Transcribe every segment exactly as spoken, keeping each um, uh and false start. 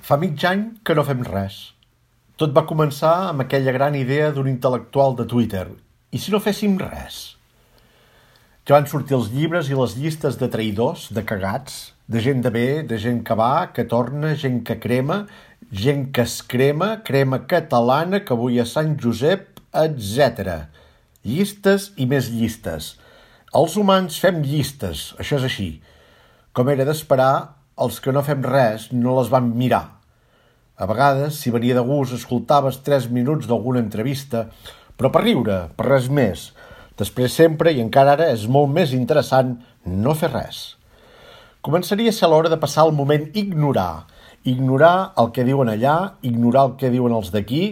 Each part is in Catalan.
Fa mig any que no fem res. Tot va començar amb aquella gran idea d'un intel·lectual de Twitter. I si no féssim res? Ja van sortir els llibres i les llistes de traïdors, de cagats, de gent de bé, de gent que va, que torna, gent que crema, gent que es crema, crema catalana, que avui a Sant Josep, etcètera. Llistes i més llistes. Els humans fem llistes, això és així. Com era d'esperar, els que no fem res no les van mirar. A vegades, si venia de gust, escoltaves tres minuts d'alguna entrevista, però per riure, per res més. Després sempre, i encara ara, és molt més interessant no fer res. Començaria a ser l'hora de passar el moment ignorar. Ignorar el que diuen allà, ignorar el que diuen els d'aquí,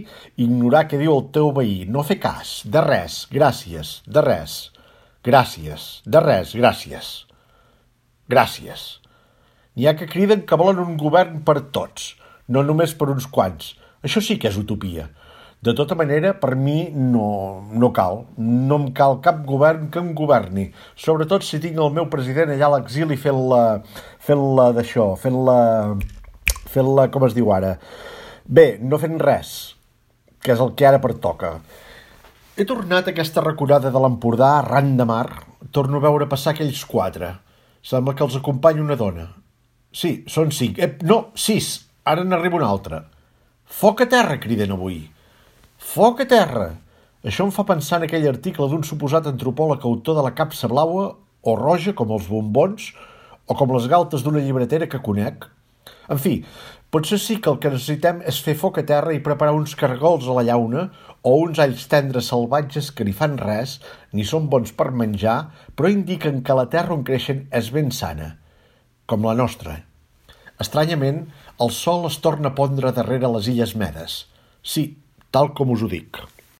ignorar què diu el teu veí. No fer cas, de res, gràcies, de res. Gràcies, de res, gràcies. Gràcies. N'hi ha que criden que volen un govern per tots, no només per uns quants. Això sí que és utopia. De tota manera, per mi no, no cal. No em cal cap govern que em governi. Sobretot si tinc el meu president allà a l'exili fent-la fent-la d'això, fent-la fent-la, com es diu ara. Bé, no fent res, que és el que ara pertoca. He tornat a aquesta raconada de l'Empordà arran de mar. Torno a veure passar aquells quatre. Sembla que els acompanya una dona. Sí, són cinc. Eh, no, sis. Ara n'arriba una altra. Foc a terra, criden avui. Foc a terra! Això em fa pensar en aquell article d'un suposat antropòleg autor de la capsa blaua o roja, com els bombons, o com les galtes d'una llibretera que conec. En fi, potser sí que el que necessitem és fer foc a terra i preparar uns cargols a la llauna o uns alls tendres salvatges que ni fan res, ni són bons per menjar, però indiquen que la terra on creixen és ben sana, com la nostra. Estranyament, el sol es torna a pondre darrere les Illes Medes. Sí, tal com us ho dic.